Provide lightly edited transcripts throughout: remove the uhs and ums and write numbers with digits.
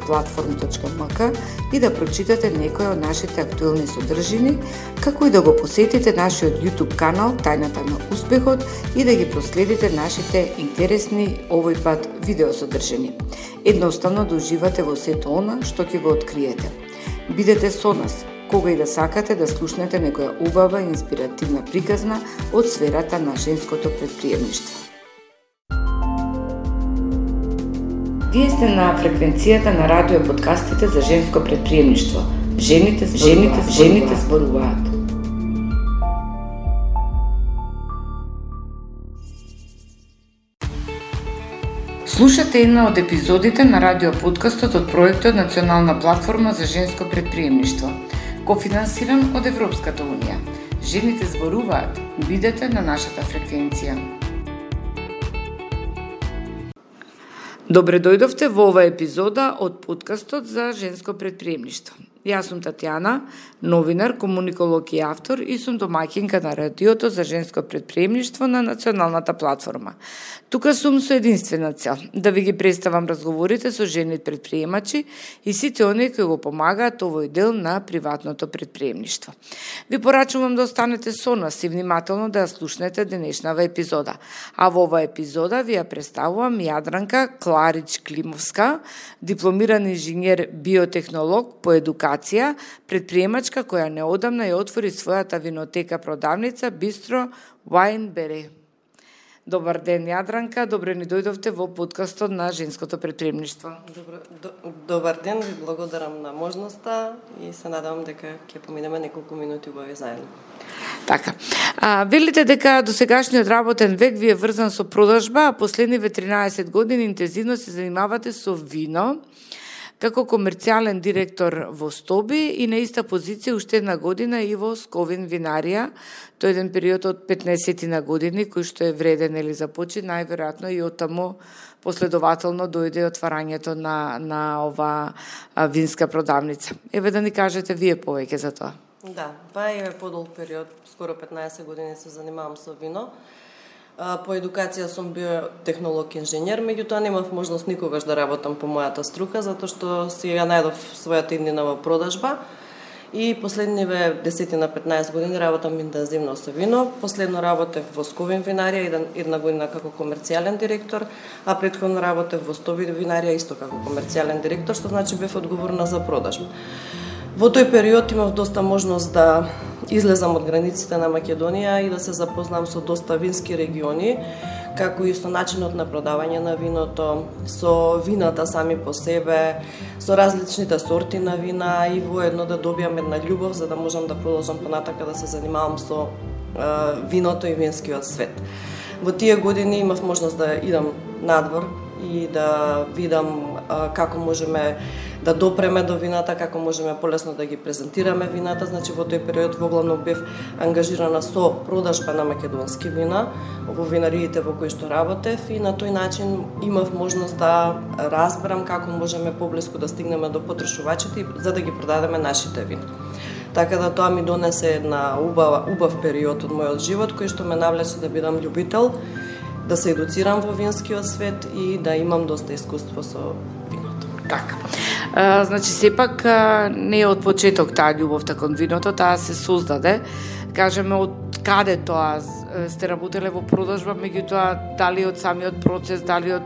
www.platform.mk и да прочитате некои од нашите актуелни содржини, како и да го посетите нашиот YouTube канал Тајната на успехот и да ги проследите нашите интересни овој пат видеосодржини. Едноставно да уживате во сето она што ќе го откриете. Бидете со нас кога и да сакате да слушнете некоја убава и инспиративна приказна од сферата на женското предприемништво. Вие сте на фреквенцијата на радио подкастите за женско предприемништво. Жените зборуваат. Слушате една од епизодите на радио подкастот од проектот Национална платформа за женско предприемништво, кофинансиран од Европската унија. Жените зборуваат. Бидете на нашата фреквенција. Добре дојдовте во оваа епизода од подкастот за женско предприемништво. Јас сум Татјана, новинар, комуниколог и автор и сум домаќинка на радиото за женско предприемништво на Националната платформа. Тука сум со единствена цел, да ви ги представам разговорите со жени предприемачи и сите оние кои го помагаат овој дел на приватното предприемништво. Ви порачувам да останете со нас и внимателно да ја слушнете денешнава епизода. А во оваа епизода ви ја представувам Јадранка Кларич-Климовска, дипломиран инженер биотехнолог по едукација, предприемачка која неодамна ја отвори својата винотека продавница Бистро Wine-Berry. Добар ден, Јадранка, добре ни дојдовте во подкастот на женското предприемништво. Добар ден, ви благодарам на можноста и се надевам дека ќе поминеме неколку минути убави заедно. Така. Велите дека досегашниот работен век ви е врзан со продажба, а последниве 13 години интензивно се занимавате со вино, како комерцијален директор во Стоби и на иста позиција уште една година и во Сковин винарија. Тој еден период од 15 на години, кој што е вреден или започи, најверојатно и оттаму последователно дојде отварањето на ова винска продавница. Еве да ни кажете вие повеќе за тоа. Да, па е подолг период, скоро 15 години се занимавам со вино. По едукација сум биотехнолог инженер, меѓутоа немав можност никогаш да работам по мојата струка, затоа што си ја најдов својата иднина во продажба и последниве 10 на 15 години работам интензивно со вино. Последно работев во Сковин винарија, една година како комерцијален директор, а претходно работев во Стоби винарија исто како комерцијален директор, што значи бев одговорна за продажба. Во тој период имав доста можност да излезам од границите на Македонија и да се запознам со доста вински региони, како и со начинот на продавање на виното, со вината сами по себе, со различните сорти на вина и воедно да добијам една љубов за да можам да продолжам понатака да се занимавам со виното и винскиот свет. Во тие години имав можност да идам надвор и да видам како можеме да допреме до вината, како можеме полесно да ги презентираме вината. Значи во тој период воглавно бев ангажирана со продажба на македонски вина во винариите во кои што работев и на тој начин имав можност да разберам како можеме поблиску да стигнеме до потрошувачите за да ги продадеме нашите вина. Така да тоа ми донесе една убав период од мојот живот кој што ме навлече да бидам љубител, да се едуцирам во винскиот свет и да имам доста искуство со виното. Така. Значи, сепак не е од почеток таа љубовта кон виното, таа се создаде. Кажеме, од каде тоа сте работеле во продажба, меѓутоа дали од самиот процес, дали од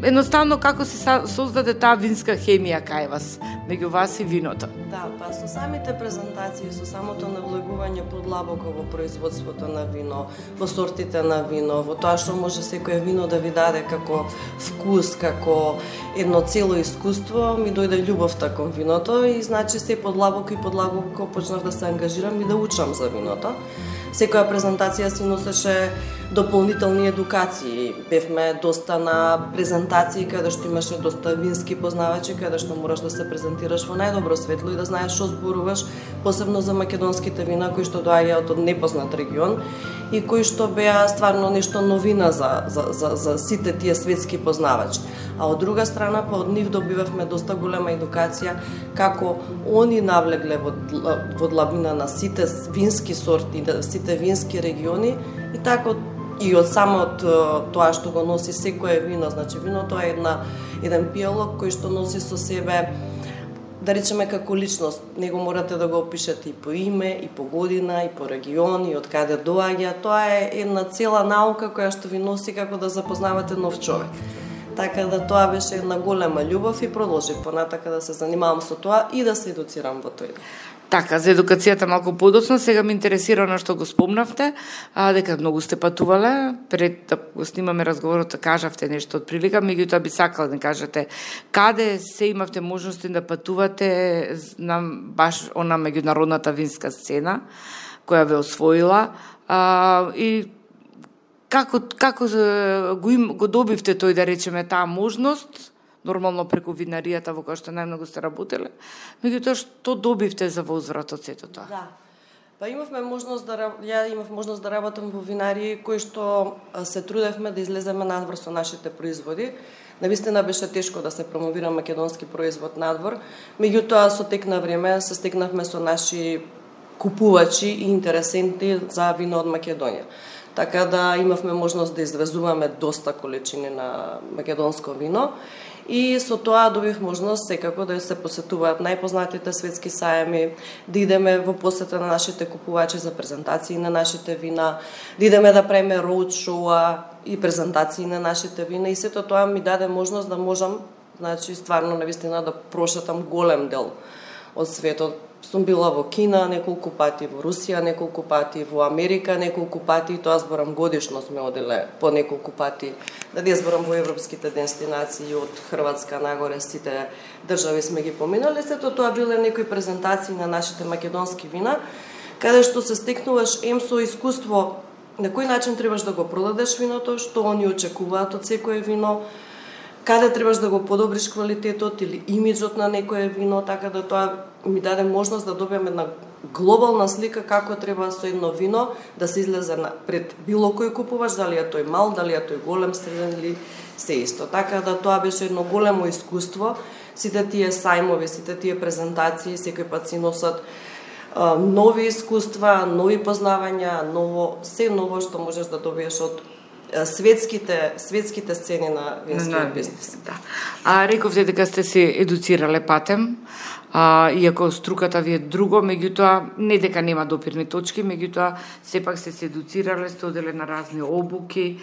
едноставно како се создаде таа винска хемија кај вас, меѓу вас и виното? Да, па со самите презентации, со самото навлегување подлабоко во производството на вино, во сортите на вино, во тоа што може секое вино да ви даде како вкус, како едно цело искуство, ми дојде љубовта кон виното и значи се подлабоко и подлабоко почнав да се ангажирам и да учам за виното. Секоја презентација си носеше дополнителни едукации. Бевме доста на презентации каде што имаше доста вински познавачи, каде што мораш да се презентираш во најдобро светло и да знаеш што зборуваш, посебно за македонските вина кои што доаѓаат од непознат регион и кои што беа стварно нешто новина за сите тие светски познавачи. А од друга страна, па од нив добивавме доста голема едукација како они навлегле во длабина на сите вински сорти, сите вински региони и така и од самот тоа што го носи секое вино, значи виното е еден пијалог кој што носи со себе, да речеме како личност, него морате да го опишете и по име, и по година, и по регион, и од каде доаѓа. Тоа е една цела наука која што ви носи како да запознавате нов човек. Така да тоа беше една голема љубов и продолжив понатака да се занимавам со тоа и да се едуцирам во тој. Така, за едукацијата малку подоцна, сега ме интересира на што го спомнавте, дека многу сте патувале, пред да го снимаме разговорот, кажавте нешто од прилика, меѓутоа би сакала да кажете каде се имавте можности да патувате на баш она меѓународната винска сцена која ве освоила и како го добивте тој, да речеме, таа можност, нормално преку винаријата во која што најмногу сте работеле, меѓутоа што добивте за возврат од сето тоа? Да. Па имав можност да работам во винарии кои што се трудевме да излеземе надвор со нашите производи. Навистина беше тешко да се промовира македонски производ надвор, меѓутоа со тек на време се стекнавме со наши купувачи и интересенти за вино од Македонија. Така да имавме можност да извезуваме доста количини на македонско вино и со тоа добив можност секако да се посетуваат најпознатите светски сајами, да идеме во посета на нашите купувачи за презентации на нашите вина, да идеме да правиме роуд шоуа и презентации на нашите вина и сето тоа ми даде можност да можам, значи стварно навистина да прошетам голем дел од светот. Сум била во Кина неколку пати, во Русија неколку пати, во Америка неколку пати, тоа зборам годишно сме оделе по неколку пати, да ја зборам во европските дестинации од Хрватска нагоре, сите држави сме ги поминали, сето тоа биле некои презентации на нашите македонски вина, каде што се стекнуваш со искуство на кој начин требаш да го продадеш виното, што они очекуваат од секое вино, каде требаш да го подобриш квалитетот или имиджот на некое вино, така да тоа ми даде можност да добиам една глобална слика како треба со едно вино да се излезе пред било кој купувач, дали е тој мал, дали е тој голем, среден или се исто. Така да тоа беше едно големо искуство. Сите тие сајмови, сите тие презентации секој пат си носат нови искуства, нови познавања, се ново што можеш да добиеш од светските сцени на винскиот бизнес. Да. Рековте дека сте се едуцирале патем, иако струката ви е друго, меѓутоа не дека нема допирни точки, меѓутоа сепак сте се едуцирале, сте оделе на разни обуки.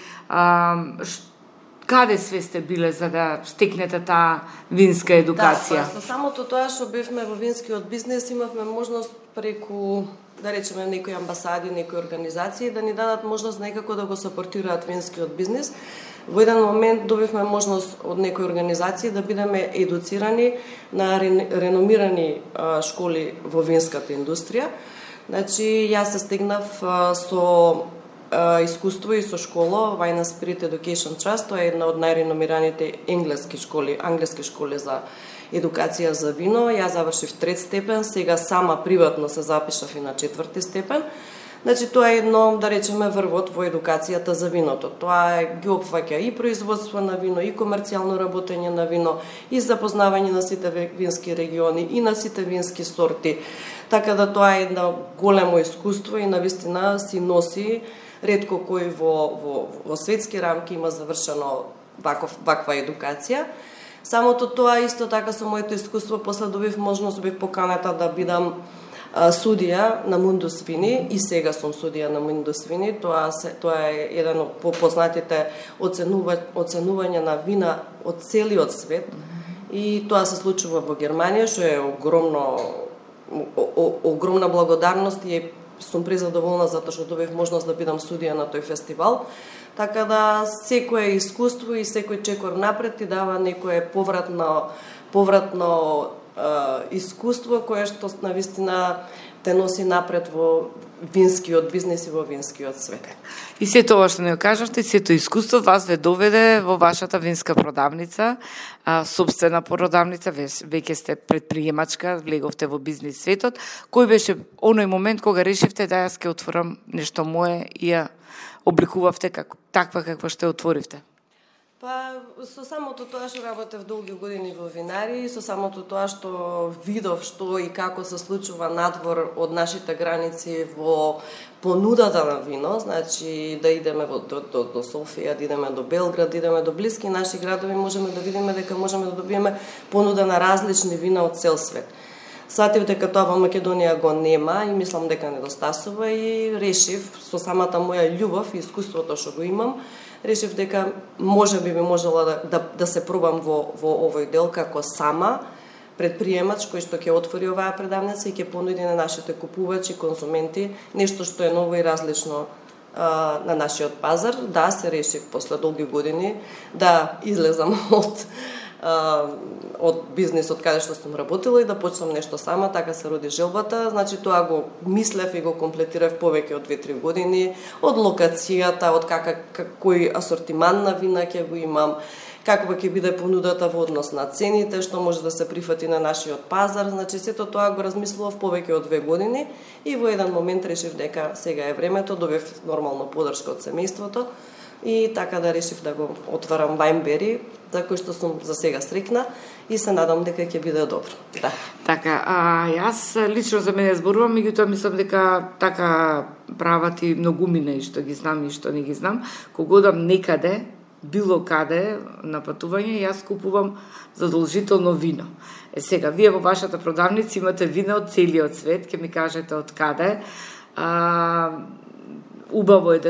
Каде све сте биле за да стекнете таа винска едукација? Да, со самото тоа што бевме во винскиот бизнес имавме можност преку, да речеме, некои амбасади, некои организации да ни дадат можност некако да го сапортираат винскиот бизнес. Во еден момент добивме можност од некои организации да бидеме едуцирани на реномирани школи во винската индустрија. Значи, јас се стегнав со искуство и со школа Wine and Spirit Education Trust, тоа е една од најреномираните англиски школи за едукација за вино. Ја завршив 3 степен, сега сама приватно се запишав и на 4 степен. Значи, тоа е едно, да речеме, врвот во едукацијата за виното. Тоа ги опфаќа и производство на вино, и комерцијално работење на вино, и запознавање на сите вински региони, и на сите вински сорти. Така да тоа е едно големо искуство и навистина си носи ретко кој во светски рамки има завршено ваква едукација. Самото тоа исто така со моето искуство после добив можност, бев поканата да бидам судија на Mundus Vini и сега сум судија на Mundus Vini. Тоа е еден од попознатите оценувања на вина од целиот свет и тоа се случува во Германија, што е огромна благодарност и сум презадоволна затоа што добив можност да бидам судија на тој фестивал. Така да секое искуство и секој чекор напред ти дава некое повратно искуство кое што навистина те носи напред во винскиот бизнес и во винскиот свет. И сето ова што не кажавте, сето искуство вас ве доведе во вашата винска продавница, собствена продавница, веќе сте предприемачка, влеговте во бизнес светот. Кој беше оној момент кога решивте да јас ќе отворам нешто мое и ја обликувавте таква каква што отворивте? Па, со самото тоа што работев долги години во винарии, со самото тоа што видов што и како се случува надвор од нашите граници во понудата на вино, значи да идеме до Софија, да идеме до Белград, да идеме до блиски наши градови, можеме да видиме дека можеме да добиеме понуда на различни вина од цел свет. Сватив дека тоа во Македонија го нема и мислам дека недостасува и решив со самата моја љубов и искуството што го имам, решив дека би можела да се пробам во овој дел како сама предприемач кој што ќе отвори оваа предавница и ќе понуди на нашите купувачи, конзументи нешто што е ново и различно на нашиот пазар. Да, се решив после долги години да излезам од бизнисот каде што сум работила и да почнам нешто сама, така се роди желбата. Значи тоа го мислев и го комплетирав повеќе од 2-3 години, од локацијата, од кој асортиман на вина ќе го имам, каква ќе биде понудата во однос на цените, што може да се прифати на нашиот пазар. Значи сето тоа го размислував повеќе од 2 години и во еден момент решив дека сега е времето, добив нормално поддршка од семејството и така да решив да го отварам Вајнбери, за кој што сум за сега срекна и се надам дека ќе биде добро. Да. Така, јас лично за мене зборувам, меѓутоа мислам дека така прават и многумина и што ги знам и што не ги знам. Кога одам некаде, било каде на патување, јас купувам задолжително вино. Сега, вие во вашата продавница имате вина од целиот свет, ќе ми кажете од каде. Убаво е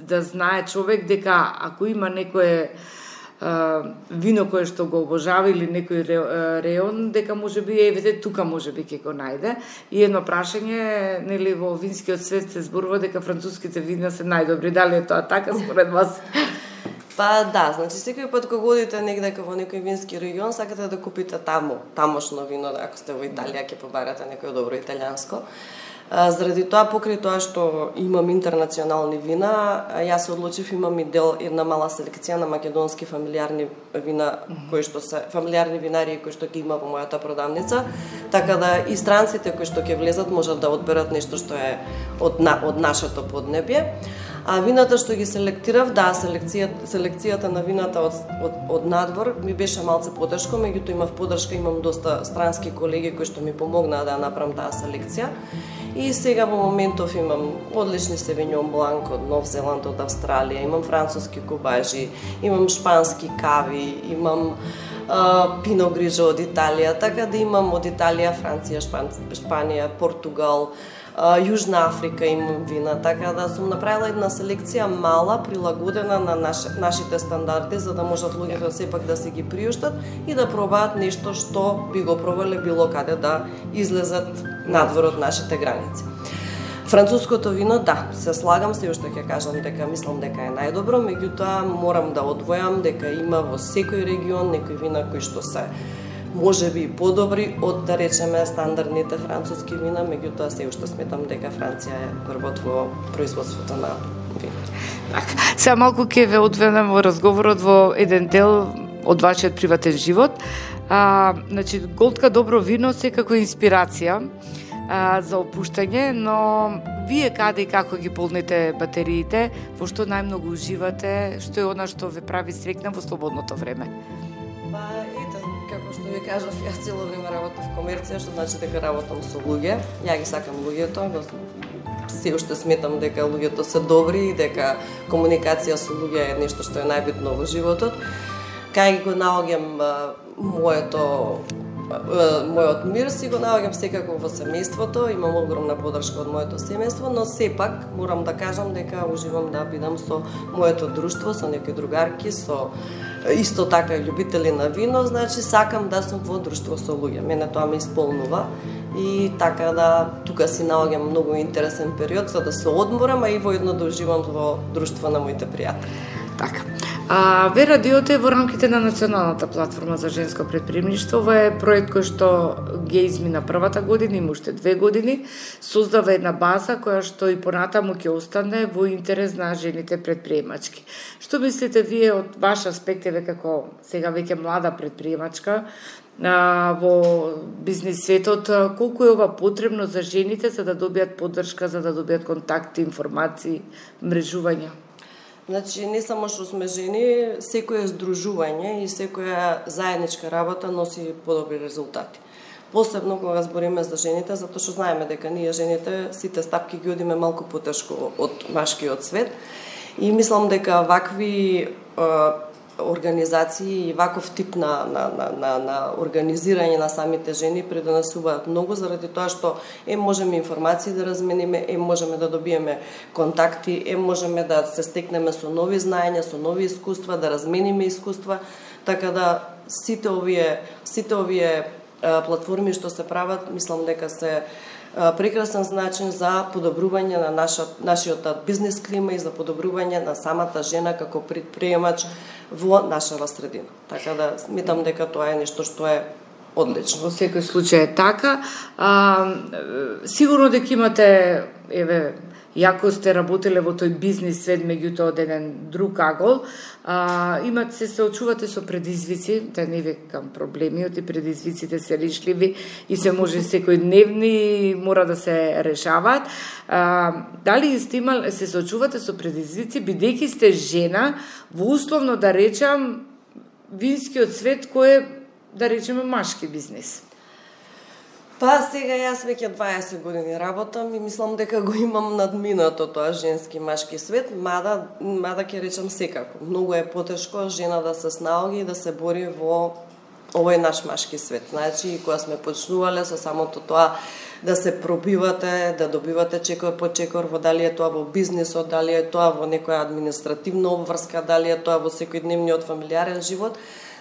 да знае човек дека ако има некое вино кое што го обожава или некој реон, дека можеби тука можеби ќе го најде. И едно прашање, нели во винскиот свет се зборува дека француските вина се најдобри. Дали е тоа така според вас? Па да, значи секој пат кога одите негде во некој вински регион, сакате да купите тамошно вино, ако сте во Италија ќе побарате некој добро италијанско. Заради тоа, покрај тоа што имам интернационални вина, јас се одлучив, имам и една мала селекција на македонски фамилиарни вина, фамилиарни винарии кои што ги има во мојата продавница, така да и странците кои што ќе влезат можат да одберат нешто што е од нашето поднебје. А вината што ги селектирав, да, селекцијата на вината од надвор ми беше малце потешко, меѓутоа имав поддршка, имам доста странски колеги кои што ми помогнаа да направам таа селекција. И сега во моментов имам одлични Севиньон Бланк од Нов Зеланд, од Австралија, имам француски кубажи, имам шпански кави, имам Пино Грижо од Италија, така да имам од Италија, Франција, Шпанија, Португал, Јужна Африка имам вина, така да сум направила една селекција мала, прилагодена на нашите стандарди, за да можат луѓето сепак да се ги приуштат и да пробаат нешто што би го пробале било каде да излезат надвор од нашите граници. Француското вино, да, се слагам, се уште ќе кажам дека мислам дека е најдобро, меѓутоа морам да одвојам дека има во секој регион некои вина кои што се можеби и подобри од, да речеме, стандардните француски вина, меѓутоа се уште сметам дека Франција е првот во производството на вино. Така, сега малку ќе ве одведам во разговорот во еден дел од вашиот приватен живот. Значи, голтка добро вино секако инспирација за опуштање, но вие каде и како ги полните батериите, во што најмногу уживате, што е она што ве прави срекна во слободното време? Како што ви кажав, јас цело време работам в комерција, што значи дека работам со луѓе. Ја ги сакам луѓето, се уште сметам дека луѓето се добри и дека комуникација со луѓе е нешто што е најбитно во животот. Кај го наоѓам мојот мир, си го наоѓам секако во семејството, имам огромна поддршка од моето семејство, но сепак морам да кажам дека уживам да бидам со моето друштво, со некои другарки, со исто така љубители на вино, значи сакам да сум во друштво со луѓе. Мене тоа ме исполнува и така да тука си наоѓам многу интересен период за да се одморам, а и воедно да уживам во друштво на моите пријатели. Така. Ве радиото е во рамките на Националната платформа за женско предприемништво. Ова е проект кој што ги измина првата година, има уште 2 години. Создава една база која што и понатаму ќе остане во интерес на жените предприемачки. Што мислите вие од ваш аспект, еве како сега веќе млада предприемачка во бизнис светот, колку е ова потребно за жените за да добијат поддршка, за да добијат контакти, информации, мрежувања? Значи, не само што сме жени, секое здружување и секоја заедничка работа носи подобри резултати. Посебно кога збориме за жените, затоа што знаеме дека ние жените сите стапки ги одиме малку потешко од машкиот свет. И мислам дека вакви организации и ваков тип на организирање на самите жени придонесуваат многу, заради тоа што можеме информации да размениме, можеме да добиеме контакти, можеме да се стекнеме со нови знаења, со нови искуства, да размениме искуства, така да сите овие платформи што се прават, мислам дека се прекрасен начин за подобрување на нашиот бизнес клима и за подобрување на самата жена како предприемач во нашава средина. Така да сметам дека тоа е нешто што е одлично. Во секој случај е така. Сигурно дека имате, јако сте работеле во тој бизнес свет, меѓутоа од еден друг агол, се очувате со предизвици, да не викам проблеми, оти предизвиците се решливи и се може секојдневни, мора да се решаваат. Дали се очувате со предизвици, бидејќи сте жена во условно да речам винскиот свет кој е, да речеме, машки бизнес? Па сега јас веќе 20 години работам и мислам дека го имам надминато тоа женски машки свет, мада ќе речам секако. Многу е потешко жена да се снаоги и да се бори во овој наш машки свет. Значи, кога сме почнувале со самото тоа да се пробивате, да добивате чекор по чекор, во дали е тоа во бизнисот, дали е тоа во некоја административна обврска, дали е тоа во секојдневниот фамилиарен живот.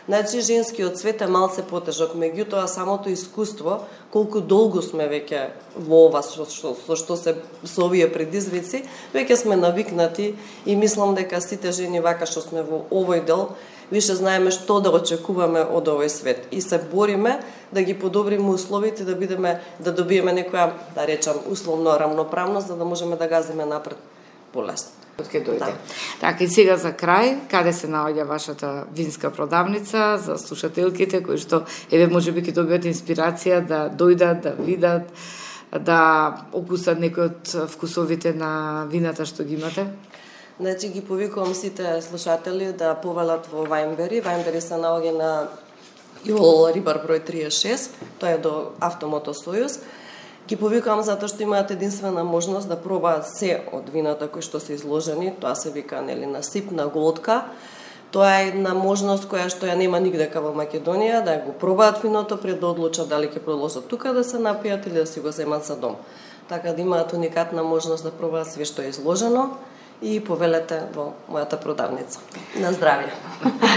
Значи, женскиот свет е малце потежок, меѓутоа самото искуство, колку долго сме веќе во ова со овие предизвици, веќе сме навикнати и мислам дека сите жени вака што сме во овој дел, више знаеме што да очекуваме од овој свет и се бориме да ги подобриме условите, да добиеме некоја, да речам, условно рамноправност, за да можеме да газиме напред полесно. Ке дојде. Да. Така, и сега за крај, каде се наоѓа вашата винска продавница за слушателките кои што можеби ќе добиат инспирација да дојдат, да видат, да окусат некои од вкусовите на вината што ги имате? Значи ги повикувам сите слушатели да повелат во Вајнбери. Вајнбери се наоѓа на Јол Рибар број 36, тоа е до Автомото Сојуз. Ги повикувам затоа што имаат единствена можност да пробаат се од вината кои што се изложени, тоа се вика на сип, на голтка. Тоа е една можност која што ја нема нигдека во Македонија, да го пробаат виното пред да одлучат дали ќе продолжат тука да се напијат или да си го земат за дом. Така да имаат уникатна можност да пробаат све што е изложено и повелете во мојата продавница. На здравје.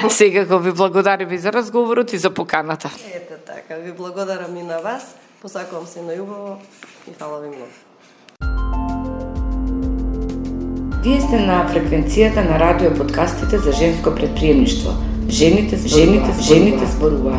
Секако ви благодарам и за разговорот и за поканата. Ете така, ви благодарам и на вас. Посакувам се најубаво и фала ви многу. Вие сте на фреквенцијата на радио подкастите за женско предприемништво. Жените зборуваат.